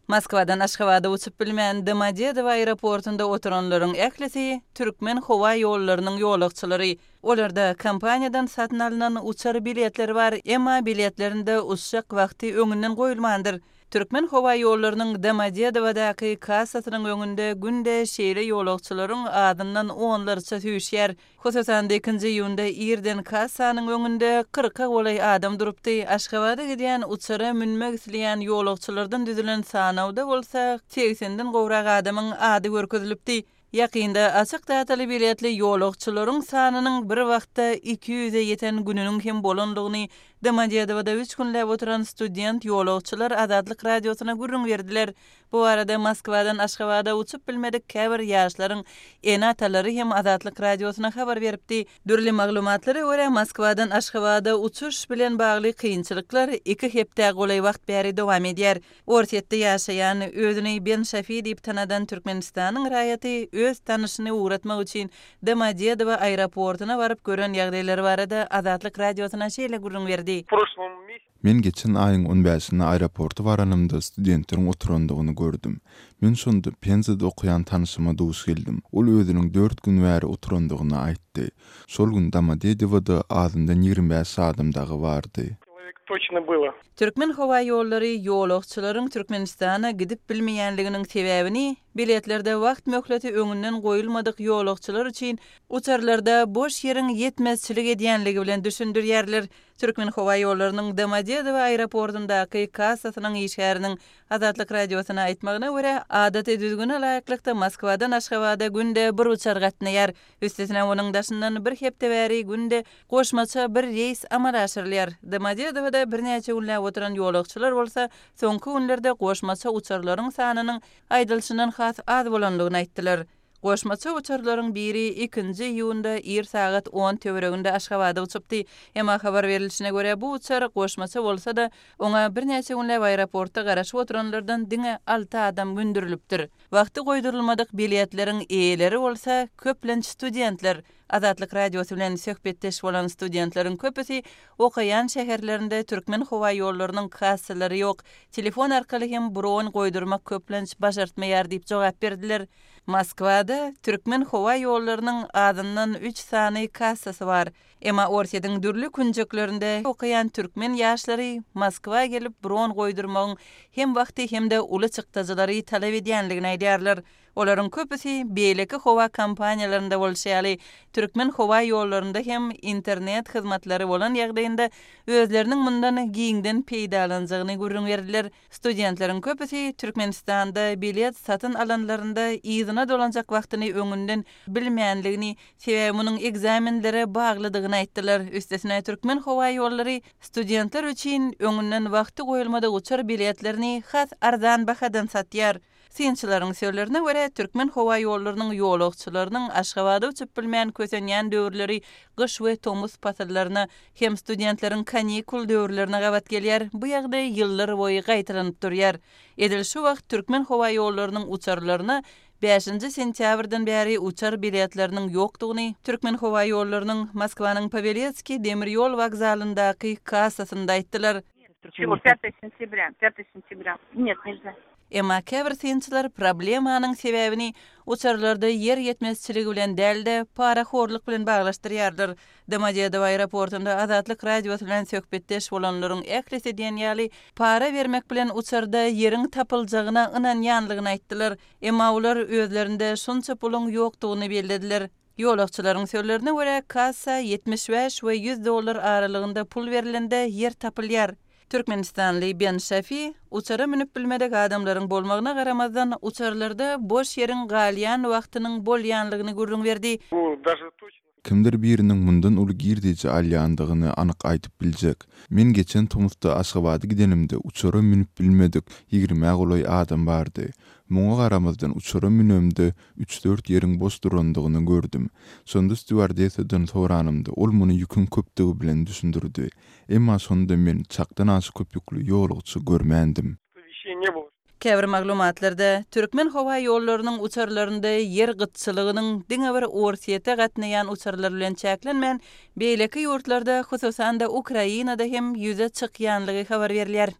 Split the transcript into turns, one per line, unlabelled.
Moskwadan Aşgabada uçup bilmän Domodedowo aeroportunda oturanlaryň ählisi Türkmen howa ýollarynyň ýolagçylary. Olarda kompaniýadan satyn alnan uçar biletleri bar, emma biletlerinde uçjak wagty öňünden goýulmandyr. Türkmen howa ýollarynyň Domodedowadaky kassasynyň öňünde günde şeýle ýolagçylaryň azyndan onlarça süýşýär. Hususan-da, ikinji iýunda irden kassanyň öňünde kyrka golaý adam durupdy. Aşgabada gidýän uçara münmek isleýän ýolagçylardan düzülen sanawda bolsa segsenden gowrak adamyň ady görkezilipdi. Ýakynda açyk dataly biletli ýolagçylaryň sanynyň bir wagtda 200-e ýeten gününiň hem bolandygyny Domodedowada üç günläp oturan student ýolagçylar Azatlyk Radiosyna gürrüň berdiler. Bu barada Moskwadan Aşgabada uçup bilmedik käbir ýaşlaryň ene-atalary hem Azatlyk Radiosyna habar beripdi. Dürli maglumatlara görä, Moskwadan Aşgabada uçuş bilen bagly kynçylyklar iki hepdä golaý wagt bäri dowam edýär. Orsýetde ýaşaýan, özüni Ben Şafi diýip tanadan Türkmenistanyň raýaty öz tanyşyny ugratmak üçin Domodedowo aeroportuna baryp gören ýagdaýlary barada Azatlyk Radiosyna şeýle gürrüň berdi.
Men geçen aýyň on bäşinde aeroporta baranymda studentleriň oturandygyny gördüm. Men şonda Penzada okaýan tanyşyma duş geldim. Ol özüniň dört gün bäri oturandygyny aýtdy. Şol gün Domodedowoda azyndan 25 adam dagy bardy.
Türkmenhowaýollary ýolagçylaryň Türkmenistana gidip bilmeýänliginiň sebäbini biletlerde wagt möhleti öňünden goýulmadyk ýolagçylar üçin uçarlarda boş ýeriň ýetmezçilik edýänligi bilen düşündirýärler. Türkmenhowaýollarynyň Domodedowo aeroportundaky kassasynyň işgäriniň Azatlyk Radiosyna aýtmagyna görä, adaty düzgüne laýyklykda Moskwadan Aşgabada günde bir uçar gatnaýar. Üstesine onuň daşyndan bir hepde bäri günde goşmaça bir reýs amala aşyrylýar. Domodedowoda birnäçe günläp oturan ýolagçylar bolsa soňky günlerde goşmaça uçarlaryň sanynyň aýdylyşyndan has az bolandygyny aýtdylar. Goşmaça uçarlaryň biri ikinji iýunda ir sagat on töwereginde Aşgabada uçupdy. Emma habar berlişine görä, bu uçar goşmaça bolsa-da, oňa birnäçe günläp aeroportda garaşyp oturanlardan diňe alty adam mündürilipdir. Wagty goýdurylmadyk biletleriň eýeleri bolsa, köplenç studentler. Azatlyk Radiosy bilen söhbetdeş bolan studentleriň köpüsi okaýan şäherlerinde Türkmenhowaýollarynyň kassalary ýok, telefon arkaly hem bron goýdurmak köplenç başartmaýar diýip jogap berdiler. Moskwada Türkmenhowaýollarynyň azyndan üç sany kassasy bar. Emma Orsýetiň dürli künjeklerinde okaýan türkmen ýaşlary Moskwa gelip bron goýdurmagyň hem wagty hem-de uly çykdajylary talap edýänligini aýdýarlar. Olaryň köpüsi beýleki howa kompaniýalarynda bolşy ýaly, Türkmenhowaýollarynda hem internet hyzmatlary bolan ýagdaýynda özleriniň mundan giňden peýdalanjagyny gürrüň berdiler. Studentleriň köpüsi Türkmenistanda bilet satyn alanlarynda yzyna dolanjak wagtyny öňünden bilmänligini, sebäbi munuň ekzamenlere baglydygyny aýtdylar. Üstesine, Türkmenhowaýollary studentler üçin öňünden wagty goýulmadyk uçar biletlerini has arzan bahadan satýar. Synçylaryň sözlerine görä, Türkmenhowaýollarynyň ýolagçylarynyň Aşgabada uçup bilmän kösenýän döwürleri gyş we tomus pasyllaryna hem studentleriň kanikul döwürlerine gabat gelýär, bu ýagdaý ýyllar boýy gaýtalanyp durýar. Edil şu wagt Türkmenhowaýollarynyň uçarlaryna bäşinji sentýabrdan bäri uçar biletleriniň ýokdugyny Türkmenhowaýollarynyň Moskwanyň Paweletskiý demir ýol wokzalyndaky kassasynda aýtdylar. Emma käbir synçylar problemanyň sebäbini uçarlarda ýer ýetmezçiligi bilen däl-de, parahorluk bilen baglaşdyrýarlar. Domodedowo aeroportunda Azatlyk Radiosy bilen söhbetdeş bolanlaryň ählisi diýen ýaly para bermek bilen uçarda ýeriň tapyljagyna ynanýanlygyny aýtdylar. Emma olar özlerinde şunça puluň ýokdugyny bellediler. Ýolagçylaryň sözlerine görä, kassa 75 we 100 dollar aralygynda pul berlende ýer tapylýar. Türkmenistanly Ben Şafi uçara münüp bilmedik adamlaryň bolmagyna garamazdan, uçarlarda boş ýeriň galýan wagtynyň bolýanlygyny gürrüň berdi.
Kimdir biriniň mundan uly girdeji alýandygyny anyk aýdyp biljek. Men geçen tomusda Aşgabada gidenimde uçara münüp bilmedik ýigrimä golaý adam bardy. Muňa garamazdan uçara münemde üç-dört ýeriň boş durandygyny gördüm. Şonda stýuardessadan soranymda, ol muny ýüküň köpdügi bilen düşündirdi. Emma şonda men çakdan aşa köp ýükli ýolagçy görmändim.
Käbir maglumatlarda, Türkmenhowaýollarynyň uçarlarynda ýer gytçylygynyň diňe bir Orsýete gatnaýan uçarlar bilen çäklenmän, beýleki ýurtlarda, hususan-da Ukrainada hem ýüze çykýanlygy habar berilýär.